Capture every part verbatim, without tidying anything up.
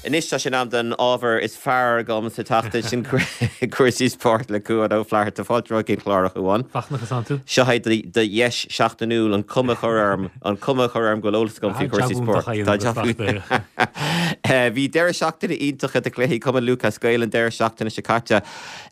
Anois tá sé in am don ábhar is fearr agam sa tseachtain sin cúrsaí spóirt le Cuan Ó Flatharta fáilte chuig an chlár a Chuain. Fachtna an tú? Seo é do dheis seachtainiúil an cuma a chur orm an cuma a chur orm go bhfuil eolas agam faoi chúrsaí spóirt. Bhí deireadh seachtaine iontach de chluichí Cumann Lúthchleas Gael an deireadh seachtaine seo caite.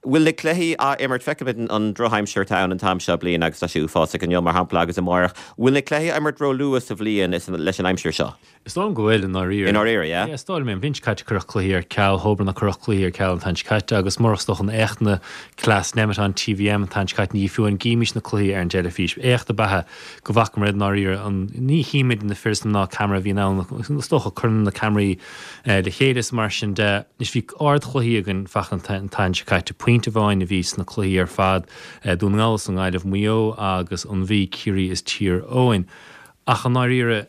Bhfuil na cluichí á imirt feicimid an drochaimsir atá ann an t-am seo bliana agus tá sé uafásach inniu mar shampla agus amárach. Bhfuil na cluichí á imirt ró-luath sa bhliain leis an aimsir seo? Is dóigh liom go bhfuil i ndáiríre. I ndáiríre, yeah? Yeah, is dóigh liom é. An bhliain seo caite cuireadh cluichí ar ceal, Hoban a cuireadh cluichí ar ceal an t-am seo caite agus murach is dócha an éachtanna cleas Nemeton TVM an t-am seo caite ní fiú an gcímis na cluichí ar an dteilifís. Éacht ab ea go bhfacamar i ndáiríre an ní chímid na fir is na mná ceamara a bhíonn ann is dócha cuireann na ceamaraí le chéile is mar sin de. Anois bhí ardchluichí againn Fachtna an t-am seo caite. Pointe amháin a bhí sna cluichí ar fad, Dún na nGall is an Ghaillimh, Maigh Eo agus an Mhí, Ciarraí is Tír Eoghain. Ach i ndáiríre,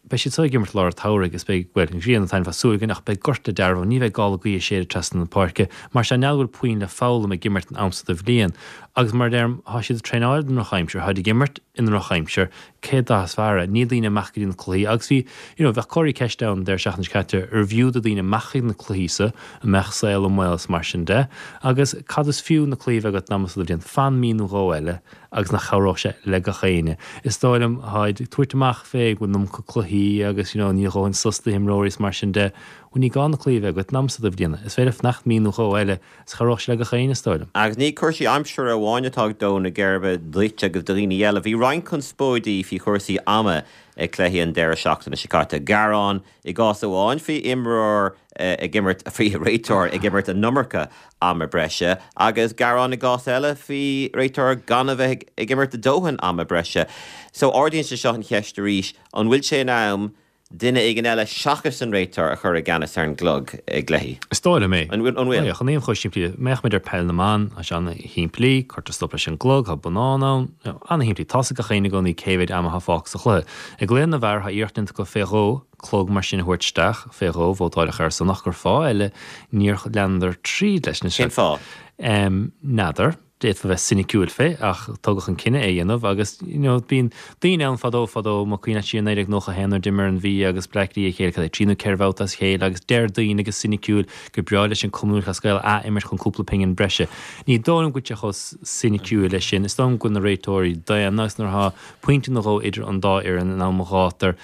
Beidh siad seo ag imirt lár an tsamhraidh is beidh, bhuel, an ghrian ag taitneamh tá súil againn ach beidh gort le dealramh, ní bheidh gála gaoithe ag séideadh trasna na páirce. Mar sin, n'fheadar bhfuil puinn le foghlaim ag imirt an am so de bhliain. Agus mar a deirim, tá siad ag traenáil don ndrochaimsir, táid ag imirt i ndrochaimsir, cé dath is fearr é? Níl daoine amach go dtí na cluichí agus bhí, you know, bheadh comharthaí ceiste ann an deireadh seachtaine seo caite arbh fhiú do daoine amach chuig na cluichí so, an mbeadh saol i mbaol is mar sin de. Agus cad is fiú na cluichí a bheith agat an am so de bhliain? Fan mí nó dhó eile. agus nach chabhródh sé le gach éinne. Is dóigh liom, tháid ag tabhairt amach fé go bhfuil an iomarca cluichí agus you know níl a dhóthain sos do himreoirí is mar sin de. Bhuel ní gá na cluichí a bheith agat an am so de bhliain. Is féidir fanacht mí nó dhó eile is chabhródh sé le gach éinne is dóigh liom. Agus ní cúrsaí aimsire amháin atá ag dó na geirbe duit agus do dhaoine eile. Bhí roinnt conspóidí faoi chúrsaí ama ag cluichí an deireadh seachtaine seo caite. Gearán i gcás amháin faoi imreoir ag imirt faoi réiteoir ag imirt an iomarca ama breise agus gearán i gcás eile faoi réiteoir gan a bheith ag imirt a dóthain ama breise. So ardaíonn sé seo an cheist arís, an bhfuil sé in am duine éigin eile seachas an réiteoir a chur i gceannas ar an gclog i gcluichí? Is dóigh liom é. An bhfuil? An bhfuil? Chun aon chomh simplí, mbeadh muid ar peil na mban, tá sé an-shimplí, cuirtear stop leis an gclog, tá bonnán ann, an-shimplí, tá's ag gach éinne i gcónaí cé mhéid ama atá fágtha sa chluiche. I gcluiche na bhfear, tá iarracht déanta acu fé dhó clog mar sin a thabhairt isteach, fé dhó, vótáileadh ar a son ach gur fáth eile níor leanadar tríd leis. Cén fáth? N'fheadar. D'fhéadfá bheith soiniciúil fé ach tugadh an cinneadh é a dhéanamh agus you know bíonn daoine ann fadó fadó más cuimhin leat siar naoi déag nócha a haon nuair d'imir an Mhí agus Bleá Cliath a chéile cad é trí nó ceithre bhabhta as a chéile agus deir daoine go soiniciúil gur breá leis an Cumann Lúthchleas Gael ath-imirt chun cúpla pingin breise. Ní dóigh liom go bhfuil sé chomh soiniciúil leis sin. Is dóigh liom go bhfuil na réiteoirí daonna agus nuair atá pointe nó dhó idir an dá fhoireann in am ghátair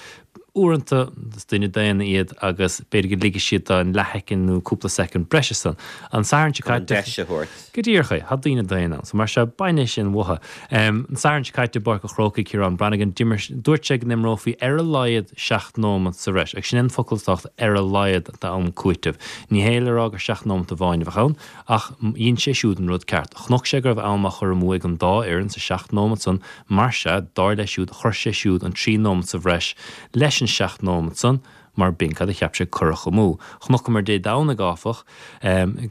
Uaireanta, is daoine daonna iad agus b'fhéidir go ligfidh siad an leathshoicind nó cúpla soicind breise san. An Satharn seo Chun an caite. deis a thabhairt. Go díreach é. Tá daoine daonna ann. So mar seo, bain é sin uathu. An Satharn seo caite i bPáirc an Chrócaigh, Ciarán Brannigan, d'imir, dúirt sé go n-imreofaí ar a laghad seacht nóimeat sa bhreis. Agus sin é an focal is tábhachtaí, ar a laghad d'am cúitimh. Ní hé le rá gur seacht nóimeat amháin a bheadh ann, ach dhein sé siúd an rud ceart. Chonaic sé go raibh am á chur amú ag an dá fhoireann sa seacht nóimeat san, Mar sea, dar leis siúd, chuir sé siúd an trí nóimeat sa bhreis leis an seacht nóimeat san, mar b'in cad a cheap sé cuireadh amú. Chonaiceamar Dé Domhnaigh, áfach,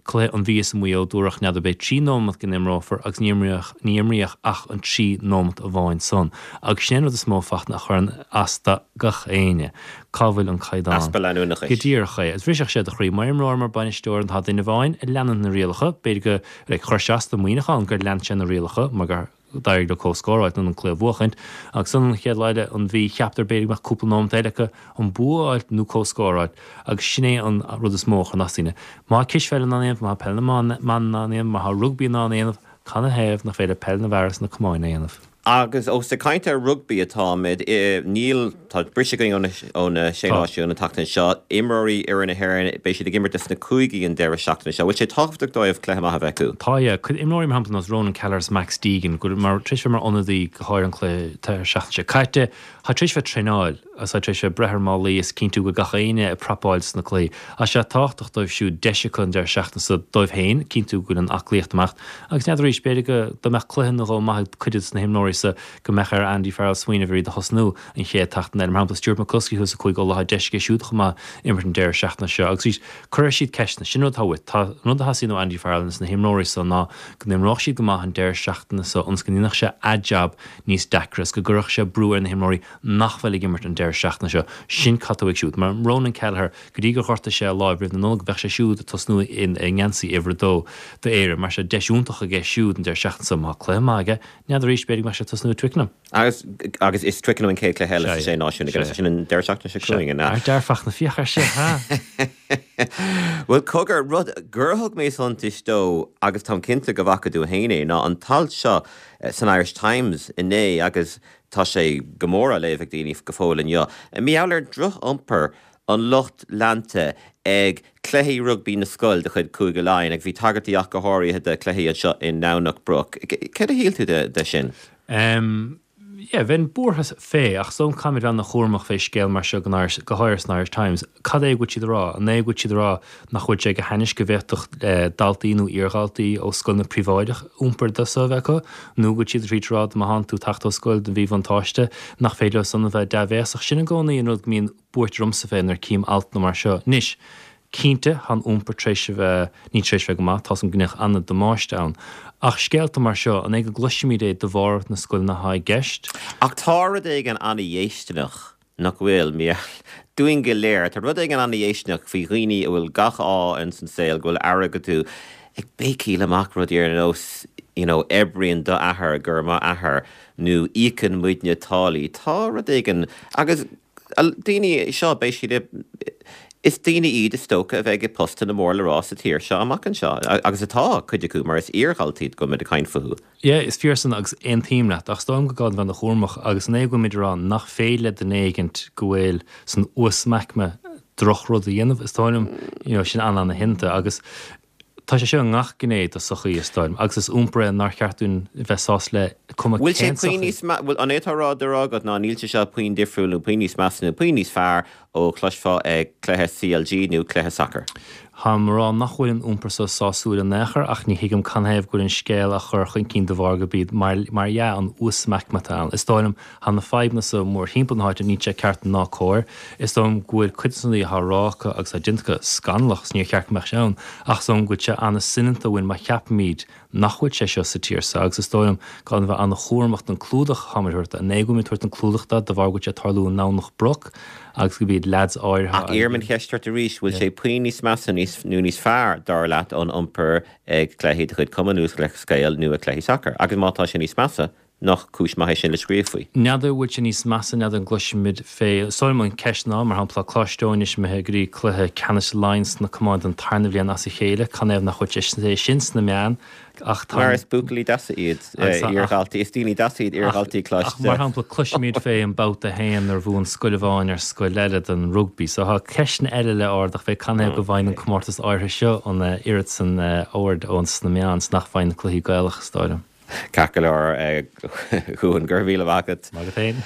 cluiche an Mhí is Maigh Eo, dúradh n'fheadar b'é trí nóimeat go n-imreofar agus ní imríodh, ní imríodh ach an trí nóimeat amháin san. Agus sin é an rud is mó, Fachtna, a chuireann as do gach éinne. Cá bhfuil an caighdeán? Easpa leanúnachais. Go díreach é. Agus bhrisfeadh sé do chroí mar imreoir, mar bainisteoir, tá duine amháin a leanann na rialacha, b'fhéidir go, like, chuir sé as do Mhuineachán gur lean sé na rialacha mar gur, D'éirigh leo comhscór a fháilt nó an cluiche a bhuachaint agus ansan an chéad lá eile an Mhí cheapadar b'fhéidir go mbeadh cúpla nóimeat eile acu an bua a fháilt nó comhscór a fháilt agus sin é an rud is mó a chuireann as daoine. Má tá cispheil in ann é a dhéanamh, má tá peil na mban in ann é a dhéanamh, má tá rugbaí in ann é a dhéanamh, canathaobh nach féidir peil na bhfear is na camáin a dhéanamh? Agus ós ag caint ar rugbaí atáimid, níl, tá briseadh againn ó na Sé Náisiún an tseachtain seo. Imreoirí fhoireann na hÉireann, beidh siad ag imirt dos na cúigí an deireadh seachtaine seo. Bhfuil sé tábhachtach dóibh cluiche maith a bheith acu? Tá, yeah. Cuid imreoirí mar shampla nós Ronan Kelleher is Max Deegan, go bhfuil mar, tar éis bheith mar ionadaí go háirithe an cluiche deireadh seachtaine seo caite, tá tar éis bheith traenáil agus tá tar éis bheith breith ar málaí is cinntiú go bhfuil gach éinne ag prapáil sna cluichí. Tá sé tábhachtach dóibh siúd deis acu an deireadh seachtaine seo dóibh féin, cinntiú go bhfuil an aclaíocht amach agus n'fheadar arís, b'fhéidir go dá mbeadh cluiche nó dhó maith ag cuid de na himreoirí so go mbeadh ar Andy Farrell smaoineamh ar iad a thosnú an chéad tseachtain eile. Mar shampla, Stuart McCloskey thuas i gCúige Uladh, tá deis aige siúd chomh maith imirt an deireadh seachtaine seo agus arís, cuirfidh siad ceisteanna. Sin rud atá uait. Tá an rud a theastaíonn ó Andy Farrell agus na himreoirí so ná go n-imreodh siad go maith an deireadh seachtaine so ionas go ndéanfadh sé a jab níos deacra is go gcuirfeadh sé brú ar na himreoirí nach bhfuil ag imirt an deireadh deireadh seachtaine seo, sin cad tá uaidh siúd. Mar Ronan Kelleher, go dtí gur ghortaigh sé a láimh roimh na Nollag, bheadh sé siúd ag tosnú i ngeansaí uimhir a dó d'Éire. Mar sin deis iontach aige siúd an deireadh seachtaine seo. Má tá cluiche maith aige, n'fheadar arís, b'fhéidir go mbeadh sé ag tosnú i Twickenham. Agus agus is Twickenham an chéad chluiche eile sa Sé Náisiún agus sin an deireadh seachtaine seo chugainn, an ea? Fear dearfach na fiach ar sé, ha? Bhuel, cogar, rud gur thug mé suntais dó agus táim cinnte go bhfaca tú féin é, ná an t-alt seo san Irish Times inné agus tá sé go mór á léamh ag daoine go fóill inniu, mar gheall ar dhroch-iompar an lucht leanta ag cluichí rugbaí na scol de chuid Chúige Laighean agus bhí tagairtí ach go háirithe do chluichí anseo i nDomhnach Broc. Céard a shíl tú de sin? Em, yeah, bheinn buartha fé, ach is dóigh liom caithfimid bheith ana-chúramach fé scéal mar seo go go háirithe san Irish Times. Cad é go bhfuil siad a rá? An é go bhfuil siad a rá nach bhfuil sé go hainnis go bhféadfadh daltaí nó iardhaltaí ó scoileanna príobháideach iompar de seo a bheith acu? Nó go bhfuil siad ag rá má thánn tú ag teacht ó scoil de mhíbhuntáiste nach féidir leo san a bheith dea-bhéasach? Sin i gcónaí an rud go mbíonn buairt ormsa fé nuair a cím altanna mar seo. Anois, cinnte, tá an iompar tar éis a bheith, ní tar éis a bheith go maith, tá 's agam go ndéanadh an-damáiste ann. Ach scéalta mar seo, an é go gcloisimid é de bharr na scoileanna atá i gceist? Ach tá rud éigin an-dhéistineach, nach bhfuil, dúinn go léir, tá rud éigin an-dhéistineach faoi dhaoine a bhfuil gach ádh ins an saol, go bhfuil airgead acu, ag béicíl amach rudaí ar nós, you know, oibríonn do athair, go raibh maith athair, nó íocann muidne táillí. Tá rud éigin, agus daoine seo, beidh siad i, is daoine iad is dócha a bheidh i bpostanna mór le rá sa tír seo amach anseo, agus atá, cuid acu, mar is iardhaltaí go bhfuil muid ag caint fúthu. Yeah, is fíor san agus aontaím leat, ach is dóigh liom go gá bheith ana-chúramach agus an é go bhfuilimid ag rá nach féidir le duine éigint go bhfuil san uasaicme drochrud a dhéanamh, is dóigh liom, you know, sin an-an-theannta agus tá sé seo i ngach gné de sochaí, is dóigh liom, agus is iompar é nár cheart dúinn bheith sásta le cuma Bhfuil sé cén puinn sochaí. níos mea, bhfuil, an é atá á rá agat ná níl sé seo puinn difriúil nó puinn níos measa nó puinn níos fearr ó chloisfeá ag cluiche C L G nó cluiche sacair? Táim ag rá nach bhfuil an iompar seo sásúil in aon chor ach ní thuigim canathaobh go bhfuil an scéal á chur chun cinn de bharr gurb iad mar mar dhea an uasaicme atá ann. Is dóigh liom tá na fadhbanna seo mórthimpeall na háite, níl sé ceart ná cóir. Is dóigh liom go bhfuil cuid de na rudaí atá á rá acu agus atá déanta acu scannalach is níor cheart go mbeadh sé ann ach is dóigh liom go bhfuil sé an-soineanta uainn má cheapaimid nach bhfuil sé seo sa tír seo agus is dóigh liom gá bheith an-chúramach don clúdach atá ort an é go bhfuil tabhairt an clúdach dó de bharr go bhfuil sé ag tarlú i nDomhnach Broc agus go b'iad leaids áirithe Ach iarraim an cheist ort arís, bhfuil sé puinn níos measa níos nó níos fearr dar leat ón iompar ag cluichí de chuid Cumann Lúthchleas Gael nó ag cluichí sacair? Agus má tá sé níos measa, nach cúis maith é sin le scríobh faoi? N'fheadar bhfuil sé níos measa, n'fheadar an gcloisimid fé. Is dóigh liom an ceist ná, mar shampla, Coláiste Eoin anois imithe go dtí cluiche ceannais Laighean sna camáin don tarna bhliain as a chéile, canathaobh nach bhfuil sé sin sna meáin ach tá Mar is buachaillí deasa iad Agus tá- iardhaltaí, is daoine deasa iad iardhaltaí Ach mar Coláiste. shampla cloisimid fé an babhta féin nuair a bhuaigh scoil amháin ar scoil eile don rugbaí, so tá ceisteanna eile le ardach fé canathaobh go bhfaigheann an comórtas áirithe seo an oiread san aird ón sna meáin is nach bhfaigheann na cluichí Gaelach is dóigh liom. Ceart go leor Cuan, go raibh míle maith agat. Maith agat féin.